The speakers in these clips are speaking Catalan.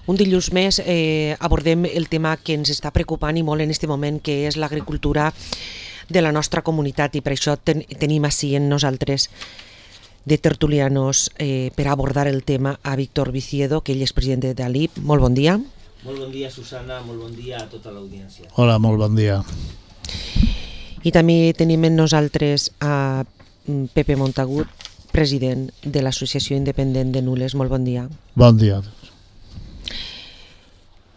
Un dilluns més abordem el tema que ens està preocupant i molt en aquest moment, que és l'agricultura de la nostra comunitat, i per això tenim ací en nosaltres de tertulianos per abordar el tema a Víctor Viciedo, que ell és president de l'ALIP. Molt bon dia. Molt bon dia, Susana, molt bon dia a tota l'audiència. Hola, molt bon dia. I també tenim en nosaltres a Pepe Montagut, president de l'Associació Independent de Nules. Molt bon dia. Bon dia.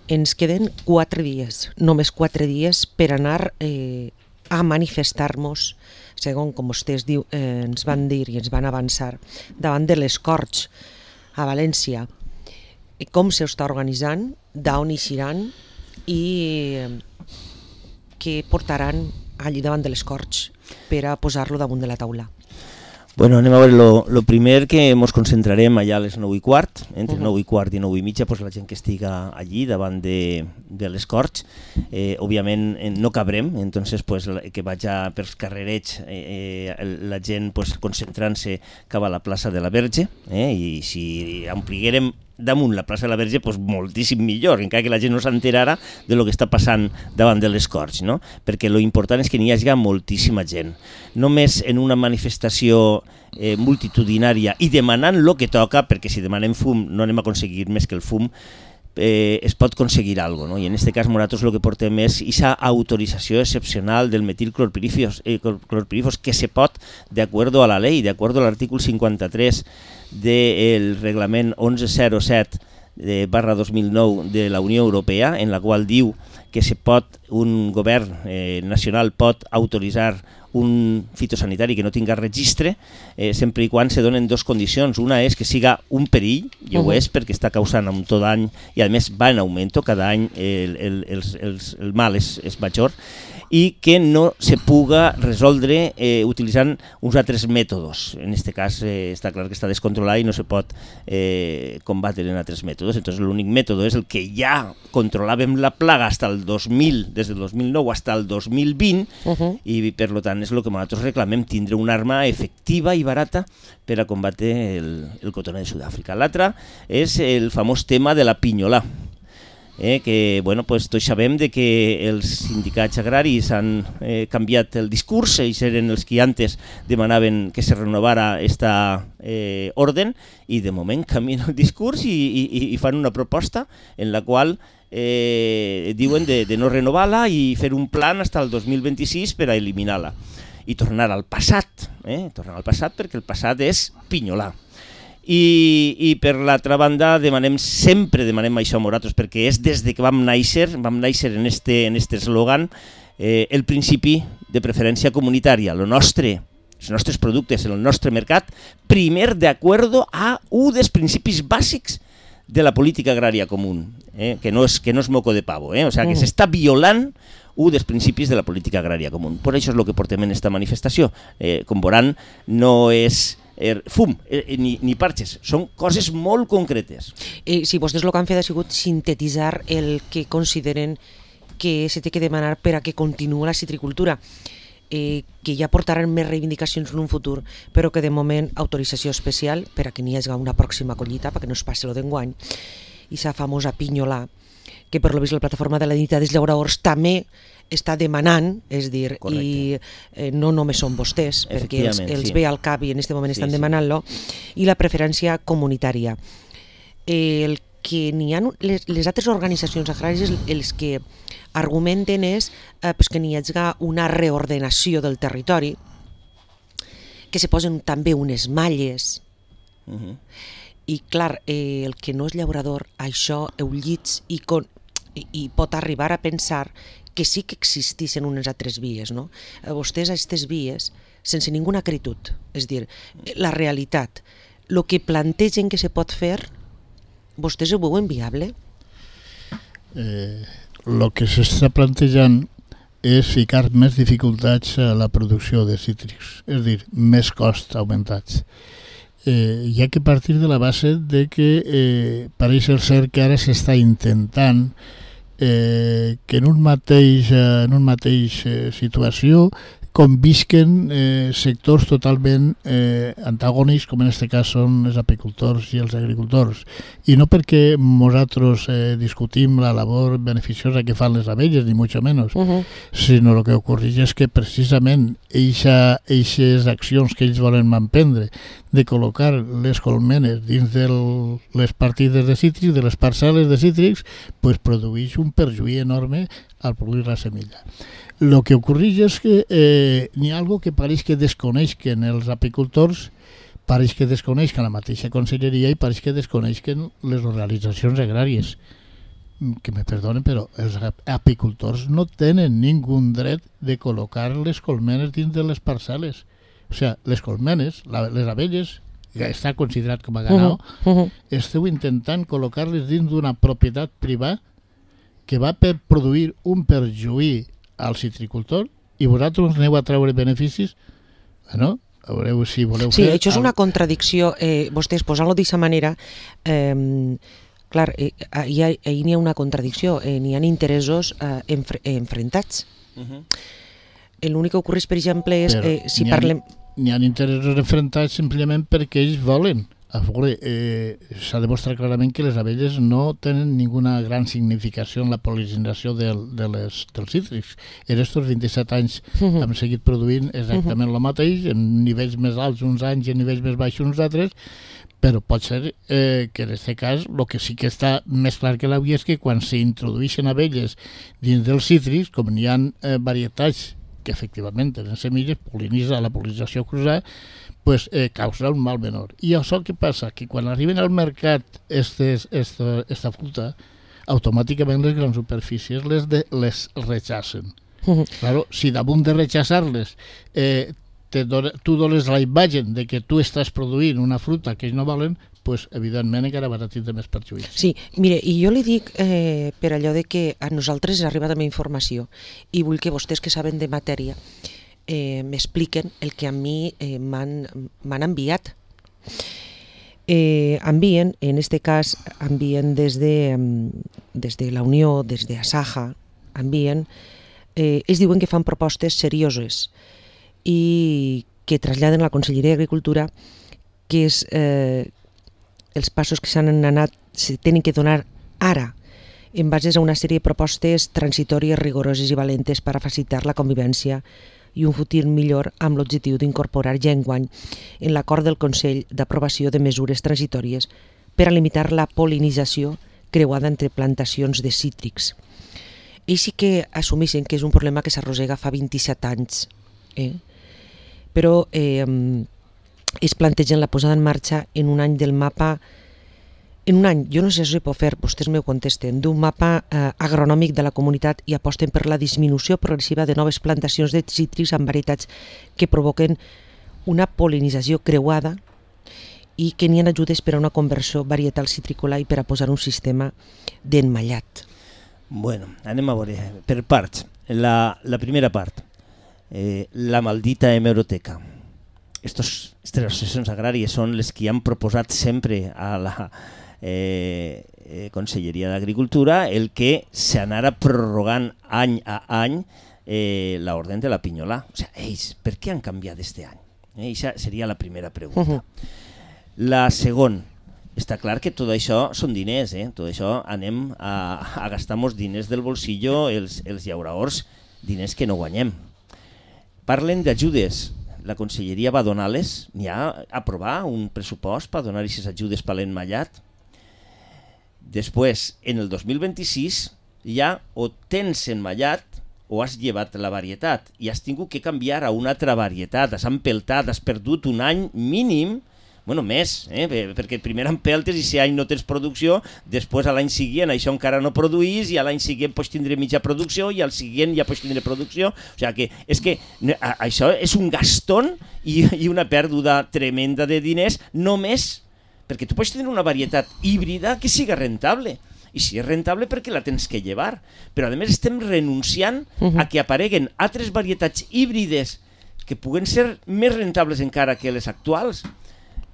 Ens queden 4 dies, només 4 dies per anar a manifestar-nos, segons com vostès ens van dir i ens van avançar, davant de les Corts a València. Com s'està organitzant, d'on eixiran i què portaran allí davant de les Corts per a posar-lo damunt de la taula. Bueno, anem a veure, lo primer que ens concentrarem allà a les 9:15, entre 9:15 i 9:30, pues la gent que estiga allí davant de les Corts, òbviament no cabrem, entonces pues que vaja pels carrerets la gent pues concentrant-se cap a la plaça de la Verge, i si ampliguérem damunt la plaça de la Verge, pues moltíssim millor, encara que la gent no s'enterara de lo que està passant davant de les Corts, no? Perquè lo important és que n'hi hagi moltíssima gent. Només en una manifestació multitudinària i demanant el que toca, perquè si demanem fum no anem a aconseguir més que el fum, es pot aconseguir alguna cosa, ¿no? Y en este caso nosaltres lo que portem és esa autorització excepcional del metilclorpirífos que se pot, de acuerdo a la ley, de acuerdo al artículo 53 del reglament 1107/2009 de la Unió Europea, en la qual diu que un govern nacional pot autoritzar un fitosanitari que no tinga registre, sempre i quan se donen 2 condicions. Una és que siga un perill, i ho és perquè està causant un tot any, i a més va en augment, cada any el mal és major, i que no se puga resoldre utilitzant uns altres mètodes. En aquest cas està clar que està descontrolat i no se pot combatre en altres mètodes. Entonces l'únic mètode és el que ja controlàvem la plaga des del 2009 fins al 2020, i per tant és el que nosaltres reclamem, tindre una arma efectiva i barata per a combatre el cotoner de Sud-àfrica. L'altre és el famós tema de la pinyolà, que tots sabem que els sindicats agraris han canviat el discurs, ells eren els que antes demanaven que se renovara aquesta ordre, i de moment canvien el discurs i fan una proposta en la qual diuen de no renovar-la i fer un plan fins al 2026 per a eliminar-la i tornar al passat, perquè el passat és pinyolar. I per l'altra banda sempre demanem això a nosaltres, perquè és des que vam néixer en este eslògan, el principi de preferència comunitària, els nostres productes, el nostre mercat, primer d'acord a un dels principis bàsics de la política agrària comú, que no és moco de pavo, o sigui que s'està violant un dels principis de la política agrària comú. Per això és el que portem en aquesta manifestació. Com veuran, no és fum ni parxes, són coses molt concretes. Si vostès el que han fet ha sigut sintetitzar el que consideren que se té que demanar per a que continuï la citricultura, que ja portaran més reivindicacions en un futur, però que de moment autorització especial per a que n'hi hagi una pròxima collita, perquè no es passi el d'enguany, i sa famosa pinyolà, que per lo vist la plataforma de la Dignitat dels Llauradors també està demanant, és dir, i no només són vostès, perquè els ve al cap i en aquest moment estan demanant-lo, i la preferència comunitària. El que n'hi ha, les altres organitzacions agràries, els que argumenten és que n'hi hagi una reordenació del territori, que se posen també unes malles, i clar, el que no és llaurador, això ho llits i pot arribar a pensar que sí que existissin unes altres vies, no? Vostès a aquestes vies, sense ninguna acritud, és dir, la realitat, el que plantegen que se pot fer, vostès ho veuen viable? El que s'està plantejant és ficar més dificultats a la producció de cítrics, és dir, més costs augmentats. Hi ha que partir de la base de que pareix ser que ara s'està intentant que en un mateix situació convisquen sectors totalment antagònics, com en aquest cas són els apicultors i els agricultors. I no perquè nosaltres discutim la labor beneficiosa que fan les abelles, ni mucho menos, sinó el que ocorreix és que precisament eixes accions que ells volen emprendre de col·locar les colmenes dins de les partides de cítrics, de les parcel·les de cítrics, pues produeix un perjuí enorme al produir la semilla. Lo que ocorreix és que n'hi ha algo que pareix que desconeixen els apicultors, pareix que desconeixen la mateixa conselleria i pareix que desconeixen les organitzacions agràries. Que me perdonen, però els apicultors no tenen ningú dret de col·locar les colmenes dins de les parcel·les. O sigui, les colmenes, les abelles, que està considerat com a ganao, esteu intentant col·locar-les dins d'una propietat privada que va per produir un perjuí al citricultor i vosaltres aneu a treure beneficis? Bueno, veureu si voleu fer... Sí, això és una contradicció. Vostès, posant-lo d'aquesta manera, clar, ahir n'hi ha una contradicció, n'hi ha interessos enfrontats. L'únic que ocorre, per exemple, és... si parlem... N'hi ha interessos enfrontats simplement perquè ells volen. A veure, s'ha demostrat clarament que les abelles no tenen ninguna gran significació en la pol·linització dels cítrics. En aquests 27 anys hem seguit produint exactament el mateix, en nivells més alts uns anys i en nivells més baixos uns altres, però pot ser que en aquest cas el que sí que està més clar que l'avui és que quan s'introdueixen abelles dins dels cítrics, com n'hi ha varietats que efectivament tenen semilles, la pol·linització cruzada, pues causa un mal menor. I això què passa? Que quan arriben al mercat esta fruta, automàticament les grans superfícies les rechacen. Claro, si damunt de rechaçar-les tu dones la imatge de que tu estàs produint una fruta que ells no volen, pues, evidentment encara vas a tindre més perjuís. Sí, mire, i jo li dic per allò de que a nosaltres arriba també informació i vull que vostès que saben de matèria m'expliquen el que a mi m'han enviat. Envien, en este cas, envien des de la Unió, des de Asaja, envien, ells diuen que fan propostes serioses i que traslladen a la Conselleria d'Agricultura que és els passos que s'han anat, se tenen que donar ara en base a una sèrie de propostes transitòries, rigoroses i valentes per a facilitar la convivència i un futur millor amb l'objectiu d'incorporar ja enguany en l'acord del Consell d'aprovació de mesures transitòries per a limitar la pol·linització creuada entre plantacions de cítrics. Ells sí que assumeixen que és un problema que s'arrossega fa 27 anys, però es plantegen la posada en marxa en un any del mapa, en un any, jo no sé si ho pot fer, vostès m'ho contesten, d'un mapa agronòmic de la comunitat i aposten per la disminució progressiva de noves plantacions de cítrics amb varietats que provoquen una pol·linització creuada i que n'hi ha ajudes per a una conversió varietal citrícola i per a posar un sistema d'emmallat. Bueno, anem a veure, per parts. La primera part, la maldita hemeroteca. Estas associacions agràries són les que han proposat sempre a la Conselleria d'Agricultura el que s'anara prorrogant any a any l'ordre de la pinyolà. O sigui, ells, per què han canviat este any? Aquesta seria la primera pregunta. La segona, està clar que tot això són diners, tot això anem a gastar-nos diners del bolsillo els llauraors, diners que no guanyem. Parlen d'ajudes. La Conselleria va donar-les, n'hi ha a aprovar un pressupost per donar aquestes ajudes per l'emmallat. Després, en el 2026, ja o tens emmallat o has llevat la varietat i has tingut que canviar a una altra varietat, has empeltat, has perdut un any mínim, bueno, més, perquè primer empeltes i si any no tens producció, després a l'any següent això encara no produís i a l'any següent pots tindre mitja producció i al següent ja pots tindre producció. O sigui que és que això és un gastón i una pèrdua tremenda de diners només perquè tu pots tenir una varietat híbrida que siga rentable. I si és rentable perquè la tens que llevar. Però a més estem renunciant a que apareguen altres varietats híbrides que puguen ser més rentables encara que les actuals.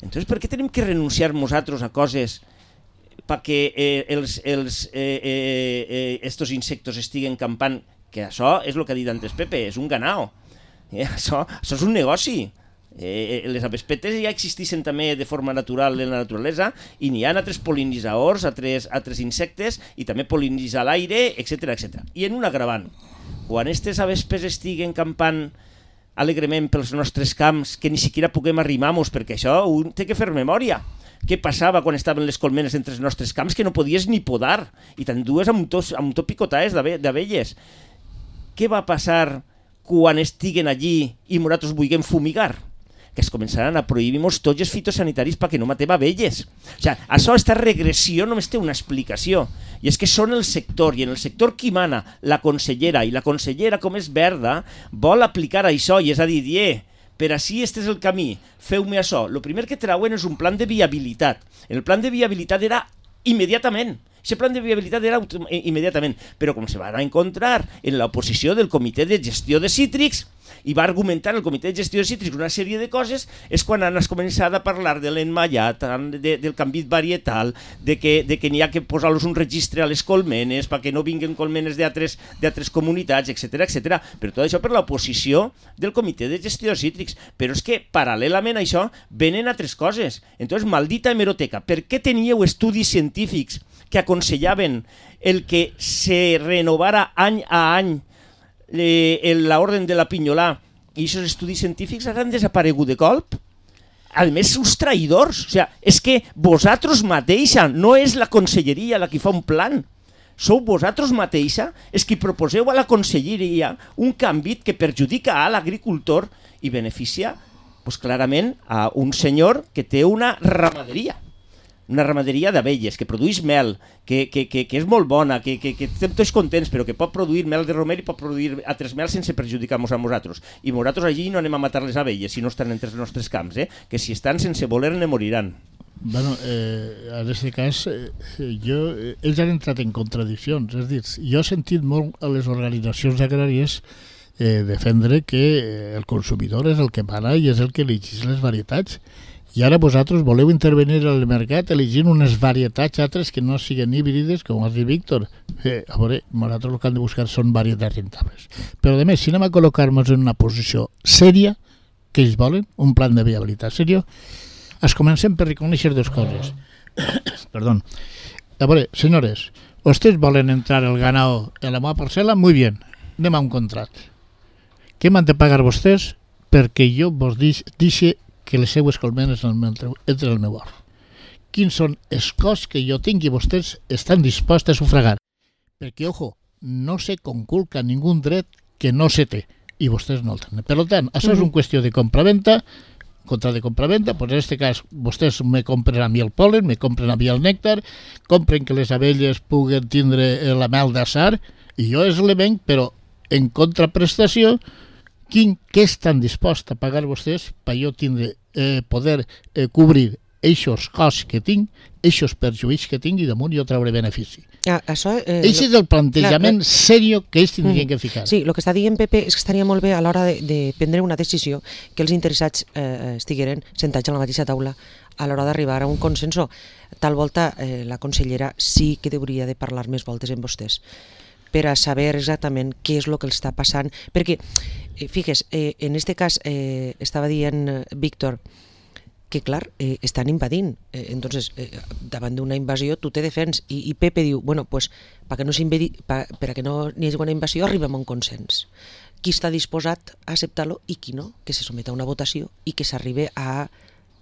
Entonces, per què tenim que renunciar nosaltres a coses perquè estos insectos estiguen campant? Que això és el que ha dit antes Pepe, és un ganao. Això és un negoci. Les avespetes ja existeixen també de forma natural en la naturalesa i n'hi ha altres pol·linitzadors, altres insectes i també pol·linitzar l'aire, etc. I en un agravant, quan aquestes avespes estiguen campant alegrement pels nostres camps que ni siquiera puguem arrimar-nos, perquè això un té que fer memòria. Què passava quan estaven les colmenes entre els nostres camps que no podies ni podar i t'endues amb tot picotaes d'abelles? Què va passar quan estiguen allí i nosaltres vulguem fumigar? Que es començaran a prohibir-nos tots els fitosanitaris perquè no matem abelles. O sigui, aquesta regressió només té una explicació, i és que són el sector, i en el sector qui mana, la consellera, i la consellera, com és verda, vol aplicar això, i és a dir, per així este és el camí, feu-me això. El primer que trauen és un plan de viabilitat. El plan de viabilitat era immediatament. Aquest plan de viabilitat era immediatament, però com se van encontrar en l'oposició del Comitè de Gestió de Cítrics, i va argumentar el Comitè de Gestió de Cítrics una sèrie de coses, és quan han començat a parlar de l'enmallat, del canvi varietal, de que n'hi ha que posar-los un registre a les colmenes perquè no vinguin colmenes d'altres comunitats, etc. Però tot això per l'oposició del Comitè de Gestió de Cítrics. Però és que, paral·lelament a això, venen altres coses. Entonces, maldita hemeroteca, per què teníeu estudis científics que aconsellaven el que se renovara any a any l'ordre de la pinyolà i aquests estudis científics han desaparegut de colp? A més, sou traïdors. O sigui, és que vosaltres mateixa, no és la conselleria la que fa un plan, sou vosaltres mateixa els que proposeu a la conselleria un canvi que perjudica a l'agricultor i beneficia clarament a un senyor que té una ramaderia d'abelles, que produeix mel, que és molt bona, que estem tots contents, però que pot produir mel de romer i pot produir altres mel sense perjudicar-nos a nosaltres. I nosaltres allí no anem a matar les abelles si no estan entre els nostres camps, que si estan sense voler ne moriran. Bueno, en aquest cas, ells han entrat en contradiccions. És a dir, jo he sentit molt a les organitzacions agràries defendre que el consumidor és el que mana i és el que elegeix les varietats. I ara vosaltres voleu intervenir al mercat elegint unes varietats altres que no siguin híbrides, com has dit, Víctor. A veure, nosaltres el que hem de buscar són varietats rentables. Però, a més, si anem a col·locar-nos en una posició sèria, que ells volen, un plan de viabilitat sèrio, es comencem per reconèixer dues coses. Perdó. A veure, senyores, ustedes volen entrar el ganado en la meva parcel·la? Muy bien, anem a un contracte. Què m'han de pagar vostès perquè jo vos deixi que les seues colmenes entre el meu hort? Quins són els costs que jo tinc i vostès estan disposats a sufragar? Perquè, ojo, no se conculca ningú dret que no se té i vostès no el tenen. Per tant, això és una qüestió de compra-venta, contra de compra-venta, doncs en aquest cas vostès me compren a mi el polen, me compren a mi el nèctar, compren que les abelles puguen tindre la mel d'açar i jo és l'element, però en contraprestació què estan disposts a pagar vostès per jo tindre, poder cobrir eixos costs que tinc, eixos perjuïts que tinc i damunt jo trauré benefici. Això és el plantejament seriós que ells tindrien que ficar. Sí, el que està dient Pepe és que estaria molt bé a l'hora de prendre una decisió que els interessats estigueren sentats a la mateixa taula a l'hora d'arribar a un consenso. Tal volta la consellera sí que hauria de parlar més voltes amb vostès per a saber exactament què és el que els està passant, perquè, figues, en aquest cas estava dient Víctor que, clar, estan invadint, entonces, davant d'una invasió tu te defens, i Pepe diu, bueno, pues, per a que no n'hi hagi una invasió arribem a un consens. Qui està disposat a acceptar-lo i qui no, que se someta a una votació i que s'arribe a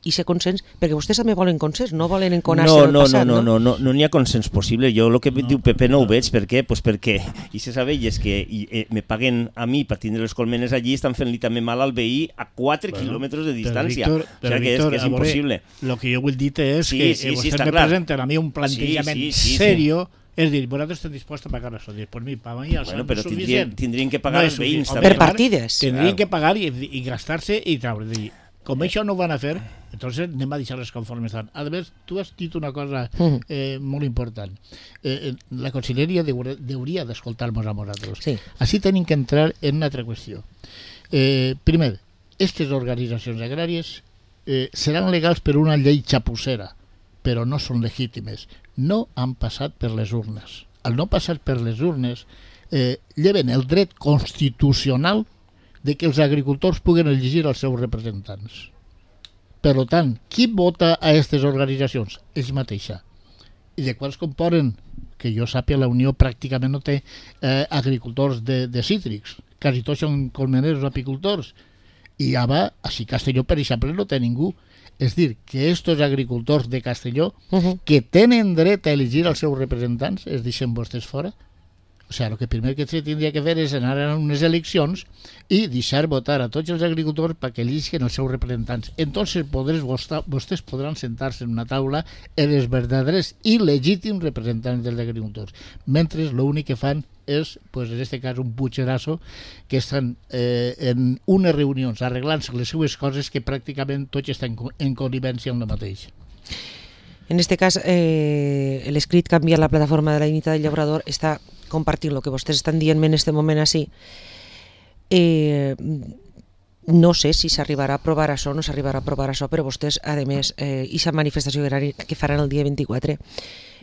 i ser consens, perquè vostès també volen consens, no volen enconar-se del passat, no? No n'hi ha consens possible. Jo el que diu Pepe no ho veig. Per què? Pues perquè aquestes abelles que me paguen a mi per tindre les colmenes allí estan fent-li també mal al veí a 4 quilòmetres de distància. O sigui que és impossible. El que jo vull dir és que vostès me presenten a mi un plantejament seriós. És dir, vosaltres estem disposats a pagar això. Pues mi, per mi ja són suficients. Tindrien que pagar els veïns també. Per partides. Tindrien que pagar i gastar-se i treure. Com això no ho van a fer, entonces anem a deixar-les conformes estan. A més, tu has dit una cosa molt important. La conselleria hauria d'escoltar-nos a nosaltres. Sí. Així tenim que entrar en una altra qüestió. Primer, aquestes organitzacions agràries seran legals per una llei xapussera, però no són legítimes. No han passat per les urnes. Al no passar per les urnes, lleven el dret constitucional de que els agricultors puguen elegir els seus representants. Per tant, qui vota a aquestes organitzacions? Ells mateixa. I de quals componen? Que jo sàpiga, la Unió pràcticament no té agricultors de cítrics. Quasi tots són colmeneros o apicultors. I ara, així Castelló, per exemple, no té ningú. És dir, que aquests agricultors de Castelló, que tenen dret a elegir els seus representants, es deixen vostès fora. O sigui, el que primer que se tindria que fer és anar a unes eleccions i deixar votar a tots els agricultors perquè eliguen els seus representants. Entonces vostès podran sentar-se en una taula els verdaders i legítims representants dels agricultors. Mentre l'únic que fan és, pues, en aquest cas, un puigerasso que estan en unes reunions arreglant-se les seues coses que pràcticament tots estan en connivència amb la mateixa. En este cas, l'escrit Canviar la plataforma de la dignitat del llaurador està compartint el que vostès estan dient-me en aquest moment així. No sé si s'arribarà a aprovar això o no s'arribarà a aprovar això, però vostès, a més, aquesta manifestació que faran el dia 24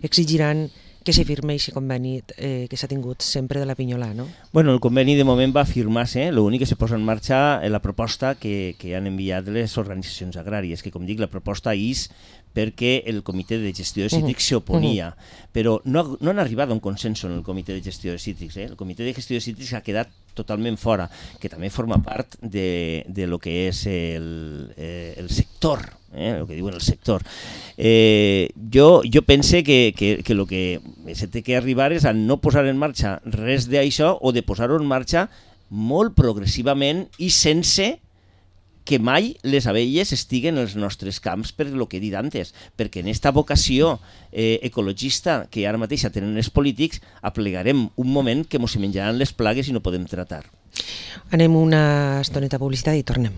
exigiran que se firme aquest conveni que s'ha tingut sempre de la Pinyolà, no? Bueno, el conveni de moment va firmar-se, l'únic que se posa en marxa la proposta que han enviat les organitzacions agràries, que com dic, la proposta és perquè el comitè de gestió de cítrics s'oponia, però no han arribat a un consens en el comitè de gestió de cítrics. El comitè de gestió de cítrics ha quedat totalment fora, que també forma part de lo que és el sector, el que diuen el sector. Jo pense que el que s'ha de arribar és a no posar en marxa res d'això o de posar-ho en marxa molt progressivament i sense que mai les abelles estiguen als nostres camps per el que he dit antes, perquè en aquesta vocació ecologista que ara mateix tenen els polítics aplegarem un moment que ens menjaran les plagues i no podem tratar. Anem una estoneta a publicitat i tornem.